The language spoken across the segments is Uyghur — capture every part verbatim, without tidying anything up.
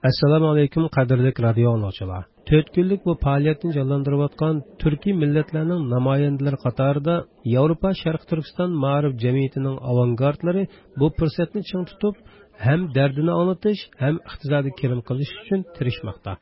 ئەسسالامۇ ئەلەيكۇم، قەدىرلىك رادىيو ئاڭلىغۇچىلار. تۆت كۈنلۈك بۇ پائالىيەتنى جانلاندۇرۇۋاتقان تۈركىي مىللەتلەرنىڭ نامايەندىلىرى قاتارىدا ياۋروپا شەرقىي تۈركىستان مائارىپ جەمئىيىتىنىڭ ئاۋانگارتلىرى بۇ پۇرسەتنى چىڭ تۇتۇپ، ھەم دەردىنى ئاڭلىتىش، ھەم ئىقتىسادىي كىرىم قىلىش ئۈچۈن تىرىشماقتا.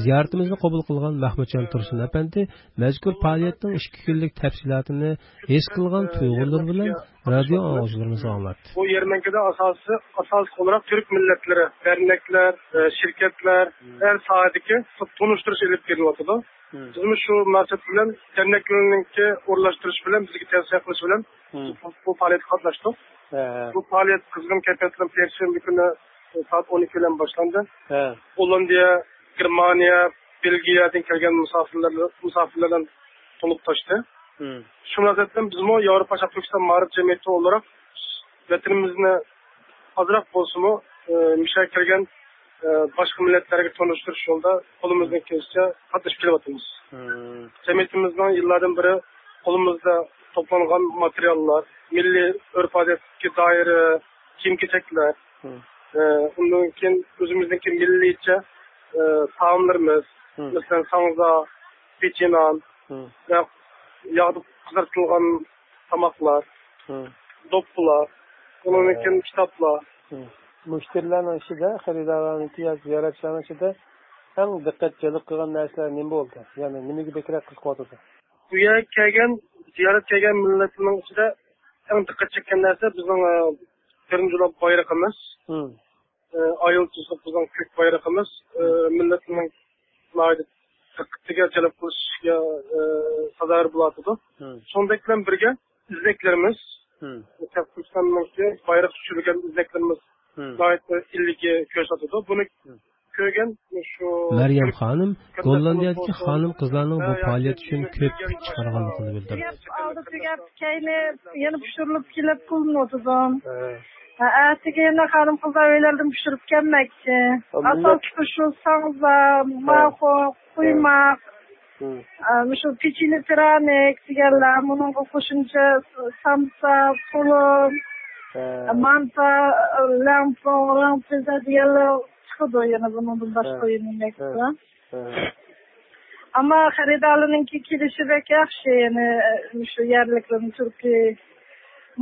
زىيارىتىمىزنى قوبۇل قىلغان مەھمۇتجان تۇرسۇن ئەپەندى مەزكۇر پائالىيەتنىڭ ئىككى كۈنلۈك تەپسىلاتىنى ھېس قىلغان تۇيغۇلىرى بىلەن رادىيو ئاڭلىغۇچىلىرىمىزغا ئاڭلاتتى. بۇ يەرمەنكىدە ئاساسىي، ئاساسلىق ئولاراق تۈرك مىللەتلىرى، دەرنەكلەر، ئە، شىركەتلەر، ھەر ساھەدىكى تونۇشتۇرۇش ئېلىپ بېرىلىۋاتىدۇ. بىزمۇ شۇ مۇناسىۋەت بىلەن دەرنەكلەرنىڭكى ئورۇنلاشتۇرۇش بىلەن بىزگە تەۋسىيە قىلىش بىلەن بۇ، بۇ پائالىيەتكە قاتناشتۇق. بۇ پائالىيەت قىزغىن كەيپىيات بىلەن پەيشەنبە كۈنى سائەت ئون ئىككى بىلەن باشلاندى. گوللاندىيە، گېرمانىيە، بېلگىيەدىن كەلگەن مۇساپىرلار، مۇساپىرلار بىلەن تولۇپ تاشتى. شۇ مۇناسىۋەت بىلەن بىزمۇ ياۋروپا شەرقىي تۈركىستان مائارىپ جەمئىيىتى ئولاراق ۋەتىنىمىزنى ئازراق بولسىمۇ، ئە، مۇشۇ يەرگە كەلگەن، ئە، باشقا مىللەتلەرگە تونۇشتۇرۇش يولىدا قولىمىزدىن كېلىشىچە قاتنىشىپ كېلىۋاتىمىز. جەمئىيىتىمىزنىڭ يىللاردىن بېرى قولىمىزدا توپلانغان ماتېرىياللار، مىللىي ئۆرپ-ئادەتكە دائىر كىيىم-كېچەكلەر، ئە، ئۇندىن كېيىن ئۆزىمىزنىڭكى مىللىيچە، ئە، تائاملىرىمىز، مەسىلەن، ساڭزا، پېچىنان ۋە ياغدا قىزارتىلغان تاماقلار، دوپپىلار، ئۇنىڭدىن كېيىن كىتابلار. مۇشتەرىلەرنىڭ ئىچىدە، خېرىدارلارنىڭكى ياكى زىيارەتچىلەرنىڭ ئىچىدە ئەڭ دىققەت جەلپ قىلغان نەرسىلەر نېمە بولدى؟ يەنى نېمىگە بەكرەك قىزىقىۋاتىدۇ؟ بۇ يەرگە كەلگەن، زىيارەت كەلگەن مىللەتلەرنىڭ ئىچىدە ئەڭ دىققەت چەككەن نەرسە بىزنىڭ، ئە، بىرىنچى بولۇپ بايرىقىمىز. ئە، ئايال تۇزلۇق بىزنىڭ كۆك بايرىقىمىز، ئە، مىللەتنىڭ ناھايىتى دىققىتىگە جەلپ قىلىشىگە، ئە، سازاۋەر بولۇۋاتىدۇ. شۇنىڭدەك بىلەن بىرگە ئىزنەكلىرىمىز، شەرقىي تۈركىستاننىڭكى بايراق چۈشۈرۈلگەن ئىزنەكلىرىمىز ناھايىتى ئىللىككە كۆرسىتىدۇ. بۇنى كۆرگەن شۇ مەريەم خانىم گوللاندىيەدىكى خانىم-قىزلارنىڭ بۇ پائالىيەت ئۈچۈن كۆپ كۈچ چىقارغانلىقىنى بىلدۈردى. ئالدى تۈگەپ، كەينى يەنە پىشۇرۇلۇپ كېلىپ قىلىنىۋاتىدۇ. ھە، ئەتىگە يەنە خانىم-قىزلار ئۆيلەردىن پىشۇرۇپ كەلمەكچى. ئاساسلىقى شۇ ساڭزا، ماخو، قۇيماق، ئە، مۇشۇ پېچىنە پىرانىك دېگەنلەر، مۇنىڭغا قوشۇمچە سامسا، پۇلۇم، مانتا، لەڭپۇڭ، رېڭپىزە دېگەنلەر چىقىدۇ يەنە بۇنىڭدىن باشقا يېمەكلىك. ئەمما خېرىدارلارنىڭكى كېلىشى بەك ياخشى، يەنى، مۇشۇ يەرلىكلەرنىڭ تۈركىي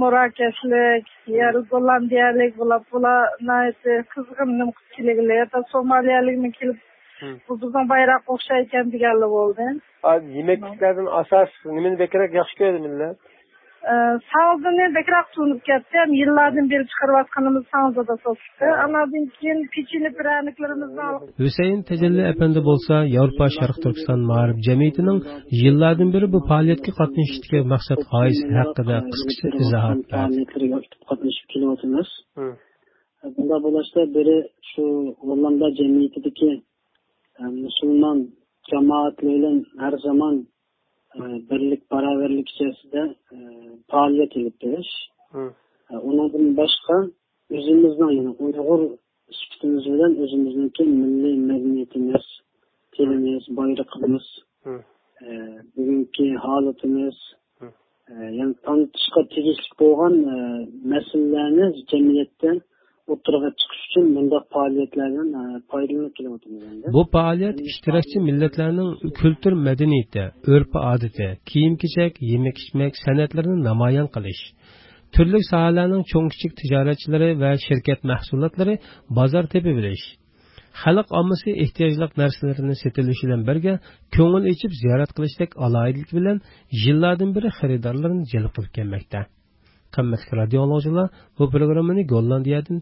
ماراكەشلىك، يەرلىك گوللاندىيەلىك بولۇپ، بۇلار ناھايىتى قىزغىن نېمە قىلىپ كېلىگىلى، يا سومالىيەلىكمۇ كېلىپ، بۇ بىزنىڭ بايراققا ئوخشايدىكەن دېگەنلەر بولدى. يېمەكلىكلەردىن ئاساس نېمىنى بەكرەك ياخشى كۆرىدۇ مىللەت؟ ئە، ساڭزىنى بەكرەك تونۇپ كەتتى. ھەم يىللاردىن بېرى چىقىرىۋاتقىنىمىز ساڭزىدا سوسۇسى. ئاناندىن كېيىن پېچىنە پىرەنىكلىرىمىزنى ئالغان. ھۈسەيىن تەجەللى ئەپەندى بولسا ياۋروپا شەرقىي تۈركىستان مائارىپ جەمئىيىتىنىڭ يىللاردىن بېرى بۇ پائالىيەتكە قاتنىشىشتىكى مەقسەت غايىسى ھەققىدە قىسقىچە ئىزاھات بەردى. پائالىيەتلىرىگە ئاكتىپ قاتنىشىپ كېلىۋاتىمىز. بۇنداق بولۇشتا بىرى شۇ گوللاندىيە جەمئىيىتىدىكى، ئە، مۇسۇلمان جامائەتلىرى بىلەن ھەر زامان ئە، بىرلىك، باراۋەرلىك ئىچەرىسىدە، ئە، پائالىيەت ئېلىپ بېرىش. ئە، ئۇنىڭدىن باشقا ئۆزىمىزنىڭ، يەنى ئۇيغۇر سۈپىتىمىز بىلەن ئۆزىمىزنىڭكى مىللىي مەدەنىيىتىمىز، تىلىمىز، بايرىقىمىز، ئە، بۈگۈنكى ھالىتىمىز، ئە، يەنى تونۇتۇشقا تېگىشلىك بولغان، ئە، مەسىلىلەرنى جەمئىيەتتە ئوتتۇرىغا چىقىش ئۈچۈن مۇنداق پائالىيەتلەردىن، ئە، پايدىلىنىپ كېلىۋاتىمىز ئەمدى. بۇ پائالىيەت ئىشتىراكچى مىللەتلەرنىڭ كۈلتۈر مەدەنىيىتى، ئۆرپ-ئادىتى، كىيىم-كېچەك، يېمەك-ئىچمەك، سەنئەتلىرىنى نامايان قىلىش، تۈرلۈك ساھەلەرنىڭ چوڭ-كىچىك تىجارەتچىلىرى ۋە شىركەت مەھسۇلاتلىرى بازار تېپىۋېلىش، خەلق ئاممىسى ئېھتىياجلىق نەرسىلىرىنى سېتىۋېلىش بىلەن بىرگە، كۆڭۈل ئېچىپ زىيارەت قىلىشتەك ئالاھىدىلىك بىلەن يىللاردىن بېرى خېرىدارلارنى جەلپ قىلىپ كەلمەكتە. قىممەتلىك رادىيو ئاڭلىغۇچىلار، بۇ پروگراممىنى گوللاندىيەدىن